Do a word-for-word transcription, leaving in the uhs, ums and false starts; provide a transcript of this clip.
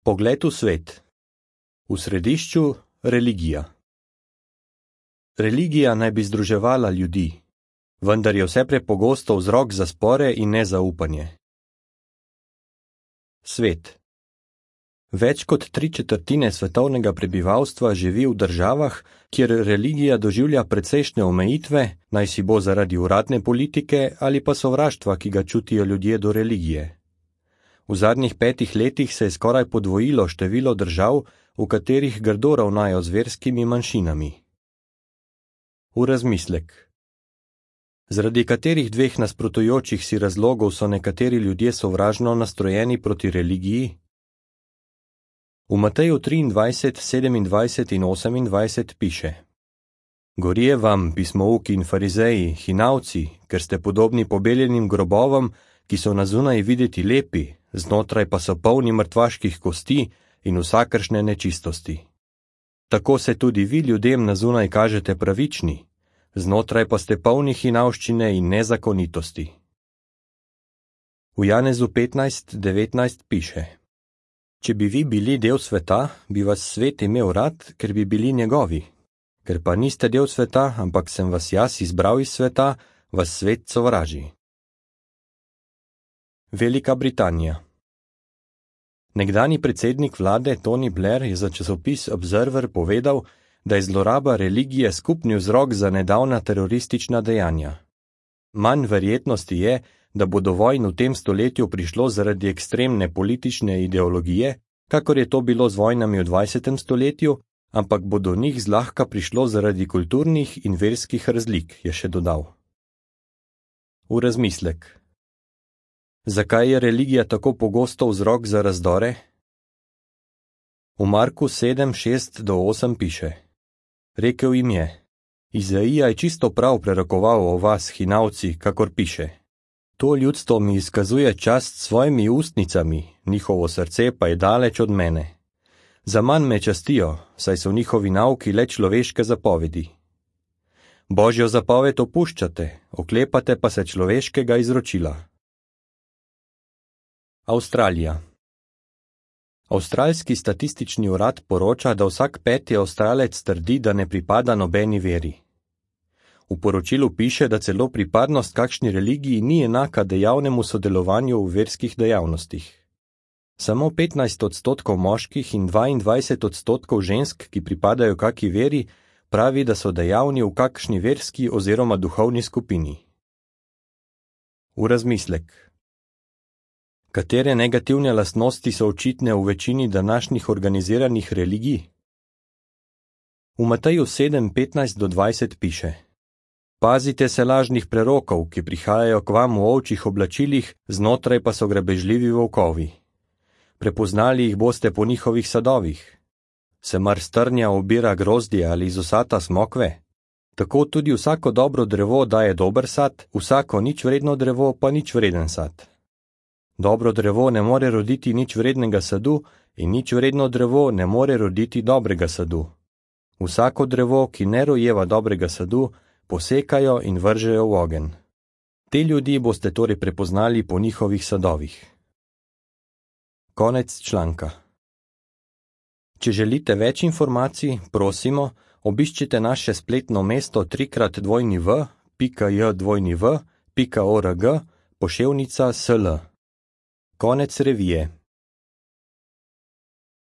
Pogled v svet. V središču religija. Religija naj bi združevala ljudi, vendar je vse prepogosto vzrok za spore in nezaupanje. Svet. Več kot tri četrtine svetovnega prebivalstva živi v državah, kjer religija doživlja precejšnje omejitve, naj si bo zaradi uradne politike ali pa sovraštva, ki ga čutijo ljudje do religije. V zadnjih petih letih se je skoraj podvojilo število držav, v katerih grdo ravnajo z verskimi manjšinami. V razmislek. Zaradi katerih dveh nasprotujočih si razlogov so nekateri ljudje sovražno nastrojeni proti religiji? V Mateju triindvajset, sedemindvajset in osemindvajset piše: Gorije vam, pismouki in farizeji, hinavci, ker ste podobni pobeljenim grobovom, ki so na zunaj videti lepi, znotraj pa so polni mrtvaških kosti in vsakršne nečistosti. Tako se tudi vi ljudem na zunaj kažete pravični, znotraj pa ste polni hinavščine in nezakonitosti. V Janezu petnajst, devetnajst piše: Če bi vi bili del sveta, bi vas svet imel rad, ker bi bili njegovi. Ker pa niste del sveta, ampak sem vas jaz izbral iz sveta, vas svet sovraži. Velika Britanija. Nekdanji predsednik vlade Tony Blair je za časopis Observer povedal, da je zloraba religije skupni vzrok za nedavna teroristična dejanja. Manj verjetnosti je, da bo do vojn v tem stoletju prišlo zaradi ekstremne politične ideologije, kakor je to bilo z vojnami v dvajsetem stoletju, ampak bo do njih zlahka prišlo zaradi kulturnih in verskih razlik, je še dodal. V razmislek. Zakaj je religija tako pogosto vzrok za razdore? V Marku sedem, šest do osem piše: Rekel jim je: Izaija je čisto prav prerokoval o vas, hinavci, kakor piše: To ljudstvo mi izkazuje čast s svojimi ustnicami, njihovo srce pa je daleč od mene. Zaman me častijo, saj so njihovi nauki le človeške zapovedi. Božjo zapoved opuščate, oklepate pa se človeškega izročila. Avstralija. Avstralski statistični urad poroča, da vsak peti Avstralec trdi, da ne pripada nobeni veri. V poročilu piše, da celo pripadnost kakšni religiji ni enaka dejavnemu sodelovanju v verskih dejavnostih. Samo petnajst odstotkov moških in dvaindvajset odstotkov žensk, ki pripadajo kaki veri, pravi, da so dejavni v kakšni verski oziroma duhovni skupini. V razmislek. Katere negativne lastnosti so očitne v večini današnjih organiziranih religij? V Mateju sedem, petnajst do dvajset piše: Pazite se lažnih prerokov, ki prihajajo k vam v ovčjih oblačilih, znotraj pa so grabežljivi volkovi. Prepoznali jih boste po njihovih sadovih. Se mar strnja obira grozdje ali iz osata smokve? Tako tudi vsako dobro drevo daje dober sad, vsako nič vredno drevo pa nič vreden sad. Dobro drevo ne more roditi nič vrednega sadu in nič vredno drevo ne more roditi dobrega sadu. Vsako drevo, ki ne rojeva dobrega sadu, posekajo in vržejo v ogenj. Te ljudi boste torej prepoznali po njihovih sadovih. Konec članka. Če želite več informacij, prosimo, obiščite naše spletno mesto trikrat dvojni v pika j dvojni v pika org poševnica sl. Konec revije.